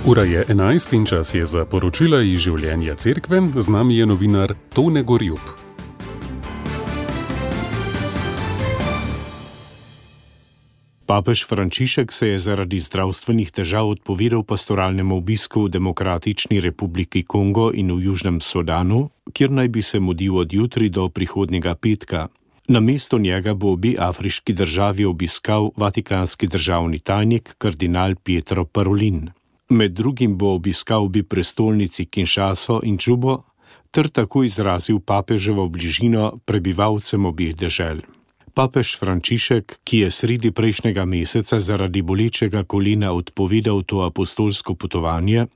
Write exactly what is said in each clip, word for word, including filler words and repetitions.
Ura je enajst in čas je za poročila iz življenja cerkve. Z nami je novinar Tone Gorjup. Papež Frančišek se je zaradi zdravstvenih težav odpovedal pastoralnemu obisku v Demokratični republiki Kongo in v Južnem Sudanu, kjer naj bi se mudil od jutri do prihodnjega petka. Namesto njega bo obe afriški državi obiskal vatikanski državni tajnik kardinal Pietro Parolin. Med drugim bo obiskal obi prestolnici Kinshaso in Džubo ter tako izrazil papeževo bližino prebivalcem obeh dežel. Papež Frančišek, ki je sredi prejšnjega meseca zaradi bolečega kolena odpovedal to apostolsko potovanje,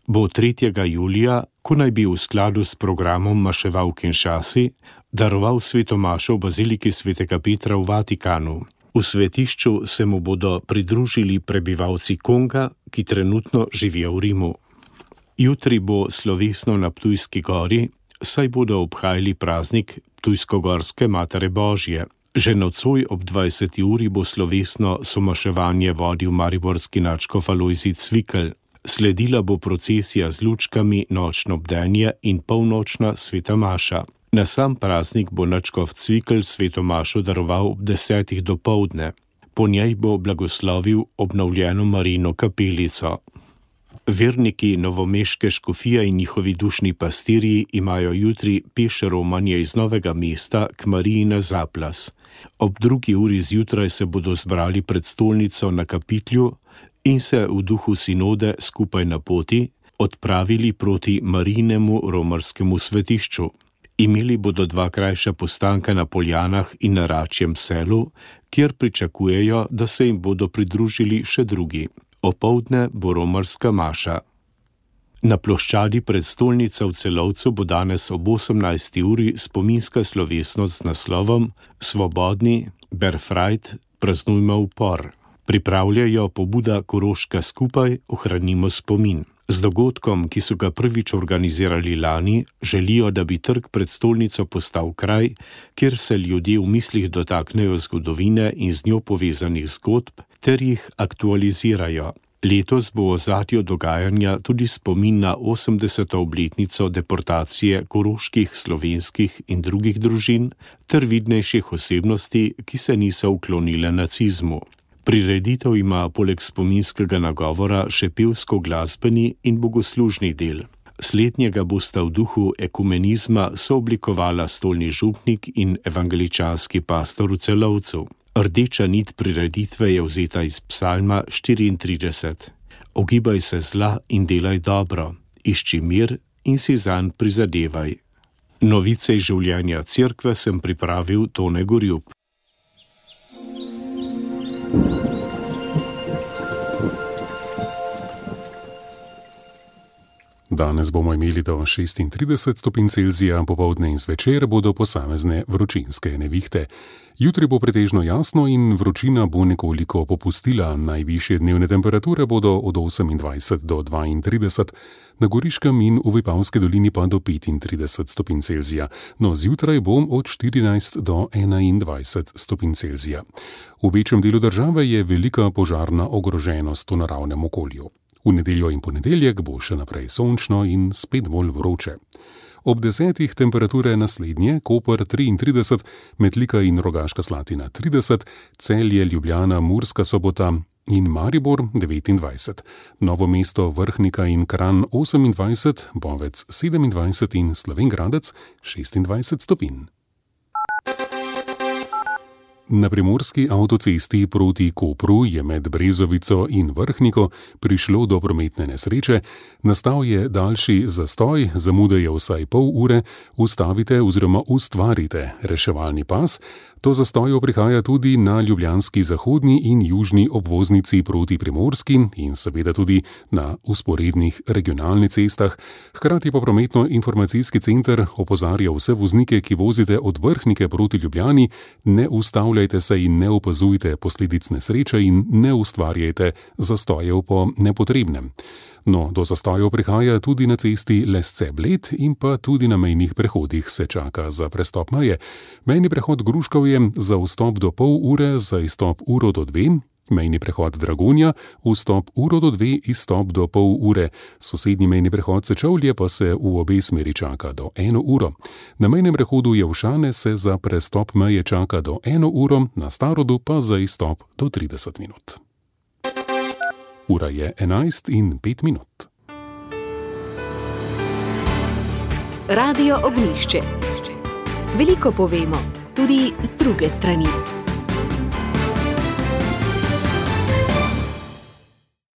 bo tretjega julija, ko naj bi v skladu s programom maševal v Kinshasi, daroval sveto mašo v baziliki svetega Petra v Vatikanu. V svetišču se mu bodo pridružili prebivalci Konga, ki trenutno živijo v Rimu. Jutri bo slovesno na Ptujski gori, saj bodo obhajali praznik Ptujsko-gorske Matere Božje. Že nocoj ob dvajseti uri bo slovesno somaševanje vodil mariborski nadškof Alojzij Cvikl. Sledila bo procesija z lučkami, nočno bdenje in polnočna sveta maša. Na sam praznik bo nadškof Cvikl sveto mašo daroval ob desetih dopoldne. Po njej bo blagoslovil obnovljeno Marijino kapelico. Verniki novomeške škofije in njihovi dušni pastirji imajo jutri peš romanje iz Novega mesta k Mariji na Zaplas. Ob drugi uri zjutraj se bodo zbrali pred stolnico na Kapitlju in se v duhu sinode skupaj na poti odpravili proti Marijinemu romarskemu svetišču. Imeli bodo dva krajša postanka na Poljanah in na Račjem selu, kjer pričakujejo, da se jim bodo pridružili še drugi. Opoldne bo romarska maša. Na ploščadi pred stolnico v Celovcu bo danes ob osemnajsti uri spominska slovesnost z naslovom Svobodni, Berfrajt, praznujmo upor. Pripravljajo pobuda Koroška skupaj, ohranimo spomin. Z dogodkom, ki so ga prvič organizirali lani, želijo, da bi trg pred stolnico postal kraj, kjer se ljudje v mislih dotaknejo zgodovine in z njo povezanih zgodb, ter jih aktualizirajo. Letos bo v ozadju dogajanja tudi spomin na osemdeseto obletnico deportacije koroških, slovenskih in drugih družin ter vidnejših osebnosti, ki se niso uklonile nacizmu. Prireditev ima poleg spominskega nagovora še pevsko-glasbeni in bogoslužni del. Slednjega bosta v duhu ekumenizma sooblikovala stolni župnik in evangeličanski pastor v Celovcu. Rdeča nit prireditve je vzeta iz psalma štiriintrideset. Ogibaj se zla in delaj dobro, išči mir in si zanj prizadevaj. Novice iz življenja cerkve sem pripravil Tone Gorjup. Danes bomo imeli do šestintrideset stopinj Celzija, popoldne in zvečer bodo posamezne vročinske nevihte. Jutri bo pretežno jasno in vročina bo nekoliko popustila. Najvišje dnevne temperature bodo od osemindvajset do dvaintrideset, na Goriškem in v Vipavski dolini pa do petintrideset stopinj Celzija. No, zjutraj bom od štirinajst do enaindvajset stopinj Celzija. V večjem delu države je velika požarna ogroženost v naravnem okolju. V nedeljo in ponedeljek bo še naprej sončno in spet bolj vroče. Ob desetih temperature naslednje: Koper triintrideset, Metlika in Rogaška Slatina trideset, Celje, Ljubljana, Murska Sobota in Maribor devetindvajset, Novo mesto, Vrhnika in Kranj osemindvajset, Bovec sedemindvajset in Slovenj Gradec šestindvajset stopinj. Na primorski avtocesti proti Kopru je med Brezovico in Vrhniko prišlo do prometne nesreče. Nastal je daljši zastoj, zamude je vsaj pol ure, ustavite oziroma ustvarite reševalni pas. Do zastojev prihaja tudi na ljubljanski zahodni in južni obvoznici proti Primorski in seveda tudi na usporednih regionalnih cestah. Hkrati pa prometno-informacijski center opozarja vse voznike, ki vozite od Vrhnike proti Ljubljani: ne ustavljajte se in ne opazujte posledic nesreče in ne ustvarjajte zastojev po nepotrebnem. No, do zastojev prihaja tudi na cesti Lesce-Bled in pa tudi na mejnih prehodih se čaka za prestop meje. Mejni prehod Gruškovje za vstop do pol ure, za izstop uro do dve, Mejni prehod Dragonja, vstop uro do dve, izstop do pol ure. Sosednji mejni prehod Sečovlje pa se v obe smeri čaka do eno uro. Na mejnem prehodu Jelšane se za prestop meje čaka do eno uro, na Starodu pa za izstop do trideset minut. Ura je enajst in pet minut. Radio Ognjišče. Veliko povemo, tudi z druge strani.